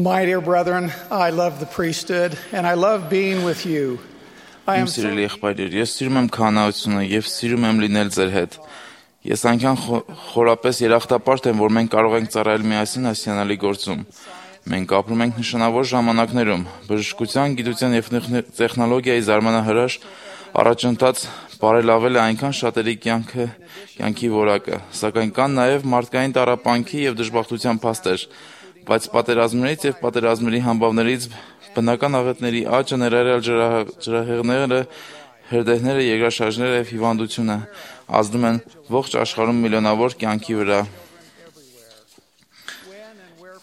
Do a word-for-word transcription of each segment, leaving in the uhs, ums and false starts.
My dear brethren, I love the priesthood and I love being with you. I am Իմ սիրելի եղբայրեր, ես սիրում եմ քահանայությունը եւ սիրում եմ լինել ձեր հետ։ Ես այնքան խորապես երախտապարտ եմ, որ մենք կարող ենք ծառայել միասին այս հիանալի գործում։ Մենք ապրում ենք նշանավոր ժամանակներում, բժշկության, գիտության եւ տեխնոլոգիայի զարմանահրաշ առաջընթաց բարելավել է այնքան շատերի կյանքը, կյանքի որակը, սակայն կան նաեւ մարդկային տառապանքի եւ դժբախտության փաստեր, բայց պատերազմներից եւ պատերազմների համբավներից բնական աղետների աճը, ներառյալ ջրահեղները, հրդեհները, երկրաշարժները եւ հիվանդությունը ազդում են ողջ աշխարհում միլիոնավոր կյանքի վրա։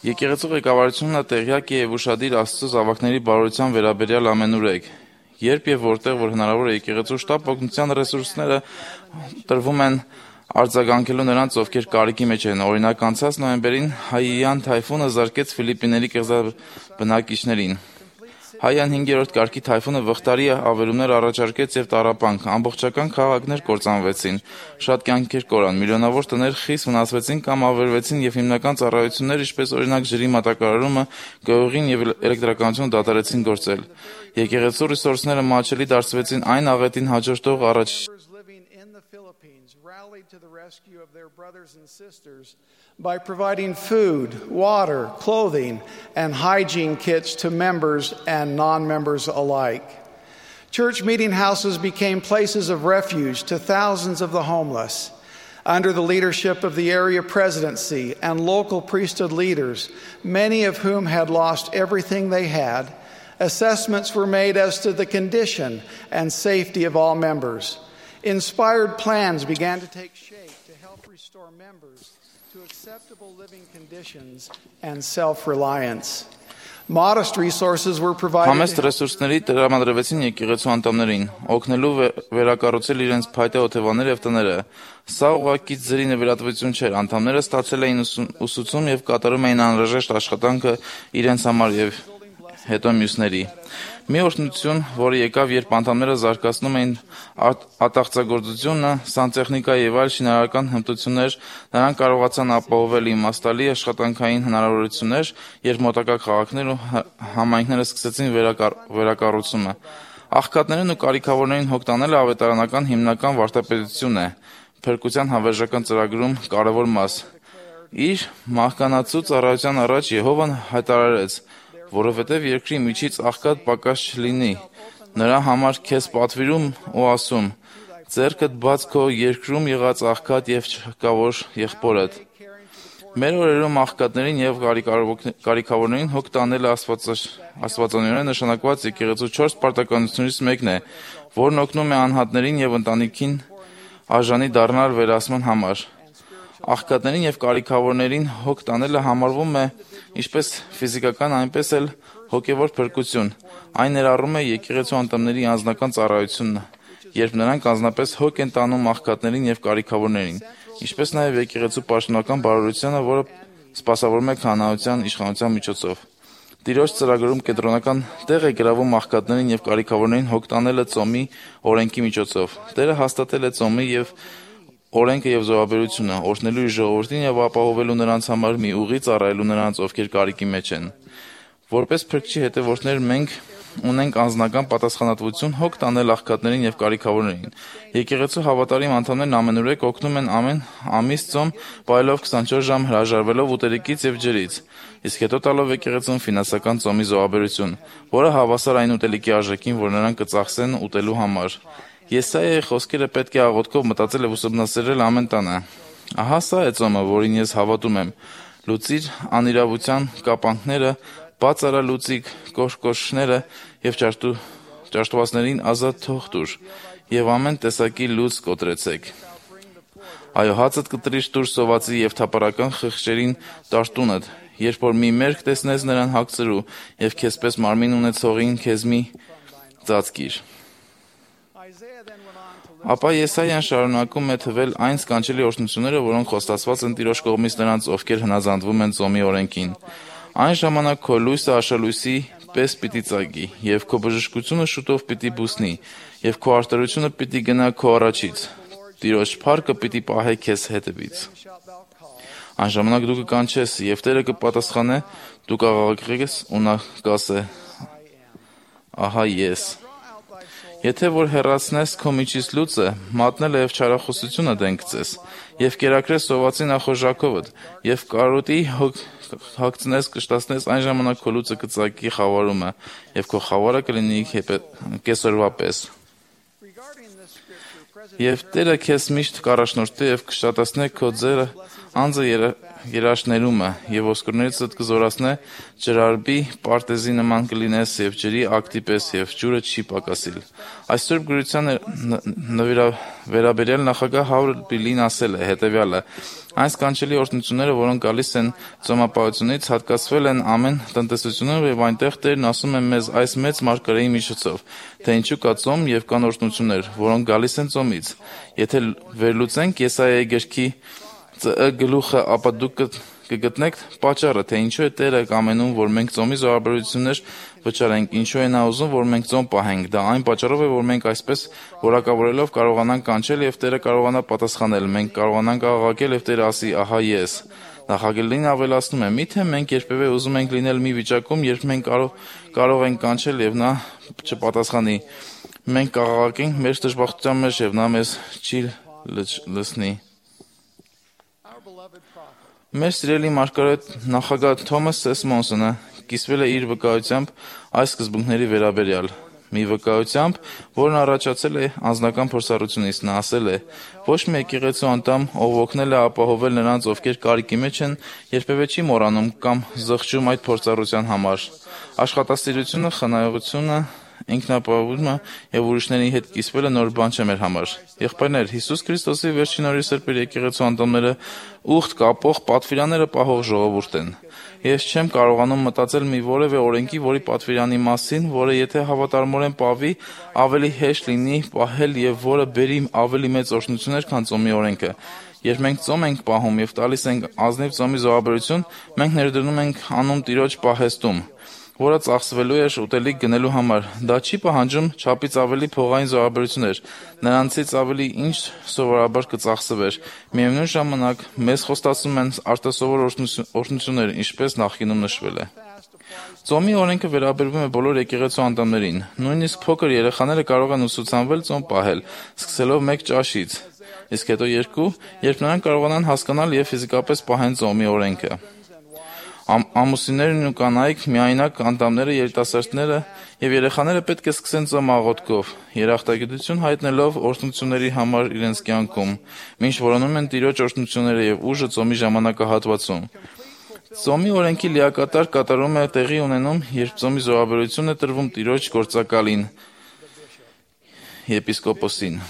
Եկեղեցու ղեկավարությունը տեղյակ է եւ ուշադիր Աստծո զավակների բարօրության վերաբերյալ ամենուրեք։ Երբ եւ որտեղ որ հնարավոր է եկեղեցու շտապ օգնության ռեսուրսները տրվում են արձագանքելու նրանց, ովքեր կարիքի մեջ են։ Օրինակ, անցած նոյեմբերին Հայիան թայֆունը զարկեց Ֆիլիպիների կղզաբնակիչներին։ Հայյան հինգերորդ կարգի թայֆունը վխտարի ավերումներ առաջարկեց եւ տառապանք, ամբողջական քաղաքներ կործանվեցին, շատ կյանքեր կորան, միլիոնավոր տներ խիստ վնասվեցին կամ ավերվեցին եւ հիմնական ծառայություններ, ինչպես օրինակ ջրի մատակարարումը, գյուղին եւ էլեկտրականությունը դադարեցին գործել։ Եկեղեցու ռեսուրսները մատչելի դարձվեցին այն աղետին հաջորդող առաջ rallied to the rescue of their brothers and sisters by providing food, water, clothing, and hygiene kits to members and non-members alike. Church meeting houses became places of refuge to thousands of the homeless. Under the leadership of the area presidency and local priesthood leaders, many of whom had lost everything they had, assessments were made as to the condition and safety of all members. Inspired plans began to take shape to help restore members to acceptable living conditions and self-reliance. Modest resources were provided. Համեստ ռեսուրսների տրամադրվեցին եկեղեցու անդամներին, օգնելու վերակառուցել իրենց փայտե օթևանները եւ տները։ Սա ուղղակի ձրի նվիրատվություն չէր, անդամները ստացել էին ուսուցում եւ կատարում էին անհրաժեշտ աշխատանքը իրենց համար եւ հետո մյուսների։ Մի օրհնություն, որը եկավ, երբ անդամները զարգացնում էին ատաղծագործությունը, սանտեխնիկա եւ այլ շինարարական հմտություններ, նրանք կարողացան ապահովել իմաստալի աշխատանքային հնարավորություններ, երբ մոտակա քաղաքներ ու համայնքները սկսեցին վերակառուցումը։ Աղքատներին ու կարիքավորներին հոգ տանելը ավետարանական հիմնական վարդապետություն է, փրկության հավերժական ծրագրում կարևոր մաս։ Իր մահկանացու ծառայության առաջ Եհովան հայտարարեց, որովհետև երկրի միջից աղքատ պակաս չլինի, նրա համար քեզ պատվիրում ու ասում, ձեռքդ բաց քո երկրում եղած աղքատ եւ չկավոր եղբորդ։ Մեր օրերում աղքատներին եւ կարիքավորներին հոգ տանելը աստվածանորեն նշանակված եկեղեցու չորս պարտականություններից մեկն է, որն օգնում է անհատներին եւ ընտանիքին արժանի դառնալ վերահսկման համար։ Աղքատներին եւ կարիքավորներին հոգ տանելը համարվում է ինչպես ֆիզիկական, այնպես էլ հոգեվոր փրկություն։ Այն ներառում է եկեղեցու անդամների անձնական ծառայությունը, երբ նրանք անձնապես հոգ են տանում աղքատներին եւ կարիքավորներին, ինչպես նաեւ եկեղեցու պաշտոնական բարօրությունը, որը սպասավորում է քահանայության իշխանության միջոցով։ Տիրոջ ծրագրում կենտրոնական տեղ է գրավում աղքատներին եւ կարիքավորներին հոգ տանելը ծոմի օրենքի միջոցով։ Տերը հաստատել է ծոմի եւ օրենքը եւ զոհաբերությունը, օրհնելու իր ժողովրդին եւ ապահովելու նրանց համար մի ուղի ծառայելու նրանց, ովքեր կարիքի մեջ են։ Որպես փրկչի հետևորդներ մենք ունենք անձնական պատասխանատվություն հոգ տանել աղքատներին եւ կարիքավորներին։ Եկեղեցու հավատարիմ անդամներն ամենուրեք օգնում են ամեն ամիս ծոմ պայելով քսանչորս ժամ հրաժարվելով ուտելիքից եւ ջրից, իսկ հետո տալով եկեղեցուն ֆինանսական ծոմի զոհաբերություն, որը հավասար այն ուտելիքի արժեքին, որ նրանք կծախսեն ուտելու համար։ Եսայայի խոսքերը պետք է աղոթքով մտածել եւ ուսումնասիրել ամեն տանը։ Ահա սա է ծոմը, որին ես հավատում եմ։ Լուծիր անիրավության կապանքները, բաց արա լուծիկ կոշկոշները եւ ճաշտվածներին ազատ թող տուր եւ ամեն տեսակի լույս կոտրեցեք։ Այո, հացդ կտրիշ տուր սովածի եւ թափառական խղճերին տարտունդ, երբ որ մի մերկ տեսնես նրան հագցրու եւ քեզպես մարմին ունեցողին քեզ մի ծածկիր։ Ապա Եսայան շարունակում է թվել այն սքանչելի օրհնությունները, որոնք խոստացված են Տիրոջ կողմից նրանց, ովքեր հնազանդվում են ծոմի օրենքին։ Այն ժամանակ քո լույսը աշալույսի պես պիտի ծագի, եւ քո բժշկությունը շուտով պիտի բուսնի, եւ քո արտերությունը պիտի գնա քո առաջից։ Տիրոջ փառքը պիտի պահե քեզ հետևից։ Այն ժամանակ դու կկանչես, եւ Տերը կպատասխանե, դու կաղաղակես ու նա կասե. Ահա ես։ Եթե որ հեռացնես քո միջից լուծը, մատնելը եւ չարախոսությունը դենքցես, եւ կերակրես սովածի նախորժակովդ, եւ կարոտի հագցնես կշտացնես, այն ժամանակ քո լուծը կծակի խավարումը, եւ քո խավարը կլինի կեսօրվա պես։ Եվ Տերը քեզ միշտ կառաջնորդի եւ կշտացնե քո ձերը անձը երաշներումը եւ ոսկորներից կզորացնե ջրարբի պարտեզի նման կլինես եւ ջրի ակտի պես եւ ջուրը չի պակասիլ։ Այս սուրբ գրության վերաբերյալ նախագահ Հավրիլին ասել է հետեւյալը. Այն սքանչելի օրհնությունները, որոնք գալիս են ծոմապահությունից, հատկացվել են ամեն տնտեսությունում եւ այնտեղ Տերն ասում է մեզ այս մեծ մարգարեի միջոցով, թե ինչու կա ծոմ եւ կան օրհնություններ, որոնք գալիս են ծոմից։ Եթե վերլուծենք Եսայիայի գրքի գլուխը, ապա դուք կգտնեք պատճառը, թե ինչու է Տերը կամենում, որ մենք ծոմի զոհաբերություններ վճարենք, ինչու է նա ուզում, որ մենք ծոմ պահենք։ Դա այն պատճառով է, որ մենք այսպես որակավորելով կարողանանք կանչել եւ Տերը կարողանա պատասխանել։ Մենք կարողանանք աղաղակել եւ Տերը ասի. ահա ես։ Նախագահին ավելացնում է. միթե մենք երբևէ ուզում ենք լինել մի վիճակում, երբ մենք կարող կարող ենք կանչել եւ նա չպատասխանի։ Մենք կաղաղակենք մեր դժբախտության մեջ եւ նա մեզ չի լսնի։ Մեր սիրելի մարգարետ նախագահ Թոմաս Սեսմոնսոնը կիսվել է իր վկայությամբ այս սկզբունքների վերաբերյալ։ Մի վկայությամբ, որն առաջացել է անձնական փորձառությունից, նա ասել է. ոչ մի եկեղեցու անդամ, ով օգնել է ապահովել նրանց, ովքեր կարիքի մեջ են, երբևէ չի մոռանում կամ զղջում այդ փորձառության համար։ Աշխատասիրությունը, խնայողությունը, ինքնապահովումը եւ ուրիշների հետ կիսվելը նոր բան չէ մեր համար։ Եղբայրներ, Հիսուս Քրիստոսի վերջին օրի սրբեր եկեղեցու անդամները ուխտ կապող պատվիրանները պահող ժողովուրդ են։ Ես չեմ կարողանում մտածել մի որևէ օրենքի, որի պատվիրանի մասին, որը եթե հավատարմորեն պահվի, ավելի հեշտ լինի պահել եւ որը բերի ավելի մեծ օրհնություններ, քան ծոմի օրենքը։ Երբ մենք ծոմ ենք պահում եւ տալիս ենք ազնիվ ծոմի զոհաբերություն, մենք ներդնում ենք անուն Տիրոջ պահեստում, որը ծախսվելու է ուտելիք գնելու համար։ Դա չի պահանջում չափից ավելի փողային զոհաբերություններ, նրանցից ավելի ինչ սովորաբար կծախսվեր։ Միևնույն ժամանակ մեզ խոստացում են արտասովոր օրհնություններ, ինչպես նախկինում նշվել է։ Ծոմի օրենքը վերաբերվում է բոլոր եկեղեցու անդամներին։ Նույնիսկ փոքր երեխաները կարող են ուսուցանվել ծոմ պահել, սկսելով մեկ ճաշից, իսկ հետո երկու, երբ նրանք կարողանան հասկանալ եւ ֆիզիկապես պահեն ծոմի օրենքը։ Ամուսիններն ու կանայք, միայնակ անդամները, երիտասարդները եւ երեխաները պետք է սկսեն ծոմ աղոթքով, երախտագիտություն հայտնելով օրհնությունների համար իրենց կյանքում, մինչ որոնում են Տիրոջ օրհնությունները եւ ուժը ծոմի ժամանակահատվածում։ Ծոմի օրենքի լիակատար կատարում է տեղի ունենում, երբ ծոմի զոհաբերություն է տրվում Տիրոջ գործակալին, եպիսկոպոսին։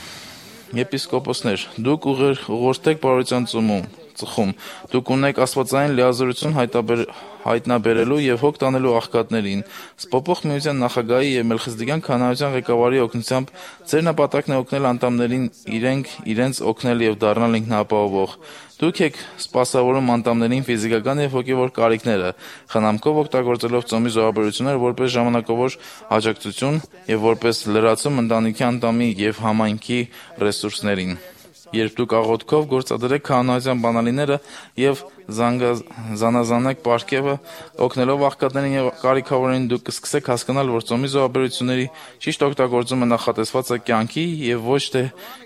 Եպիսկոպոսներ, դուք ուղղորդեք բարության ծոմում, ծխում, դուք ունեք աստվածային լիազորություն հայտնաբերելու եւ հոգ տանելու աղքատներին։ Սպոպող միության նախագահի եւ Մելխիզեդեկյան քահանայության ղեկավարի օգնությամբ ձեր նպատակն է օգնել անդամներին իրենք իրենց օգնել եւ դառնալ ինքնապահովող։ Դուք եք սպասավորում անդամներին ֆիզիկական եւ հոգեվոր կարիքները, խնամքով օգտագործելով ծոմի զոհաբերությունները որպես ժամանակավոր աջակցություն եւ որպես լրացում ընտանիքի անդամի եւ համայնքի ռեսուրսներին։ Երբ դուք աղոթքով գործադրեք քահանայության բանալիները եւ զանազանեք պարգևը, օգնելով աղքատներին եւ կարիքավորներին, դուք կսկսեք հասկանալ, որ ծոմի զոհաբերությունների ճիշտ օգտագործումը նախատեսված է կյանքի եւ ոչ թե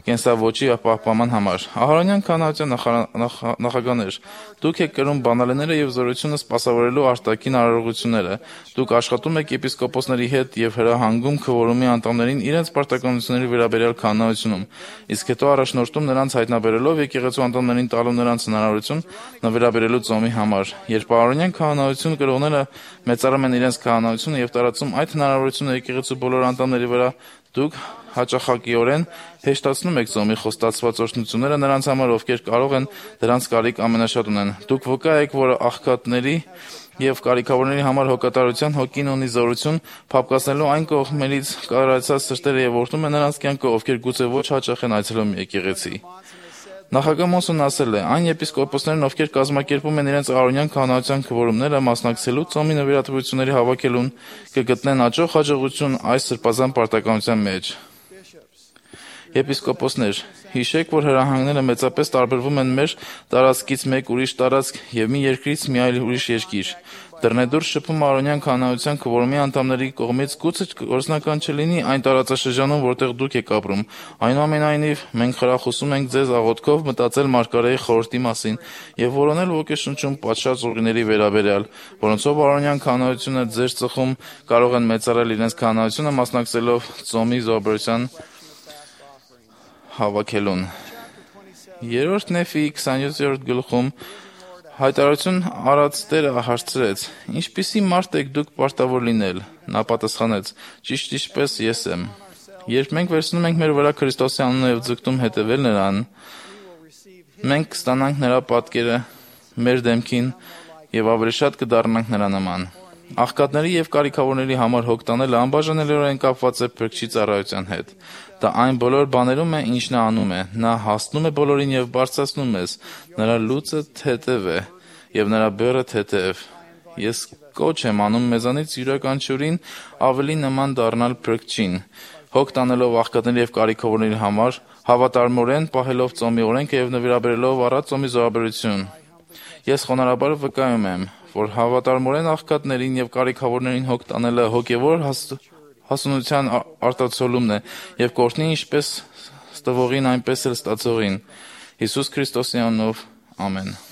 կենսավոճի պահպանման համար։ Ահարոնյան քահանայության նախագահներ, դուք եք կրում բանալիները եւ զորությունը սպասավորելու արտաքին արարողությունները։ Դուք աշխատում եք եպիսկոպոսների հետ եւ հրահանգում քվորումի անդամներին իրենց պարտականությունների վերաբերյալ քահանայությունում, իսկ հետո առաջնորդում նրանց հայտնաբերելով եկեղեցու անդամներին տալու նրանց հնարավորություն նվիրաբերելու ծոմի համար։ Երբ ահարոնյան քահանայություն կրողները մեծարում են իրենց քահանայությունը եւ տարածում այդ հնարավորությունը եկեղեցու բոլոր անդամների վրա, դուք հաճախակիորեն հեշտացնում եք ծոմի խոստացված օրհնությունները նրանց համար, ովքեր կարող են դրանց կարիք ամենաշատ ունեն։ Դուք վկա եք, որ աղքատների եւ կարիքավորների համար հոգատարության հոգին ունի զորություն փափկացնելու այն կողմերից կարարացած սրտերը եւ օրհնում է նրանց կյանքը, ովքեր գուցե ոչ հաճախ են այցելում եկեղեցի։ Նախագահ Մոնսոնն ասել է. այն եպիսկոպոսներն, ովքեր կազմակերպում են իրենց ահարոնյան քահանայության քվորումները, մասնակցելու ծոմի նվիրատվությունների հավաքելուն, կգտնեն հաջող հաջողություն այս սրբազան պարտականության մեջ։ Եպիսկոպոսներ, Հիշեք, որ հրահանգները մեծապես տարբերվում են մեր տարածքից մեկ ուրիշ տարածք և մի երկրից մի այլ ուրիշ երկիր։ Դռնեդուր շփումը արոնյան քահանայության քվորումի անդամների կողմից գուցե գործնական չլինի այն տարածաշրջանում, որտեղ դուք եք ապրում։ Այնուամենայնիվ, մենք խրախուսում ենք ձեզ աղոթքով մտածել Մարգարեի խորհրդի մասին և որոնել ոգեշնչում պատշաճ ուղիների վերաբերյալ, որոնցով արոնյան քահանայությունը ձեր ծխում կարող են մեծարել իրենց քահանայությունը մասնակցելով ծոմի զոհաբերության հավաքելուն։ Երրորդ Նեֆիի քսաներորդ գլխում հայտարարություն արած Տերը հարցրեց. «Ինչպիսի մարդ եք դուք պարտավոր լինել»։ Նա պատասխանեց. «Ճիշտ ինչպես ես եմ»։ Երբ մենք վերցնում ենք մեր վրա Քրիստոսի անունը և ձգտում հետևել նրան, մենք կստանանք նրա պատկերը մեր դեմքին և ավելի շատ կդառնանք նրա նման։ Աղքատների և կարիքավորների համար հոգ տանելը անբաժանելիորեն կապված է Փրկչի ծառայության հետ։ Դա այն բոլոր բաներում է, ինչ նա անում է։ Նա հասնում է բոլորին և բարձրացնում մեզ։ Նրա լուծը թեթև է, և նրա բեռը թեթև։ Ես կոչ եմ անում մեզանից յուրաքանչյուրին ավելի նման դառնալ Փրկչին, հոգ տանելով աղքատների և կարիքավորների համար, հավատարմորեն պահելով ծոմի օրենքը և նվիրաբերելով առատ ծոմի զոհաբերություն։ Ես խոնարհաբար վկայում եմ, որ հավատարմորեն աղքատներին և կարիքավորներին հոգ տանելը հոգևոր հասունության արտացոլումն է և կօրհնի ինչպես ստվողին, այնպես էլ ստացողին։ Հիսուս Քրիստոսի անունով, ամեն։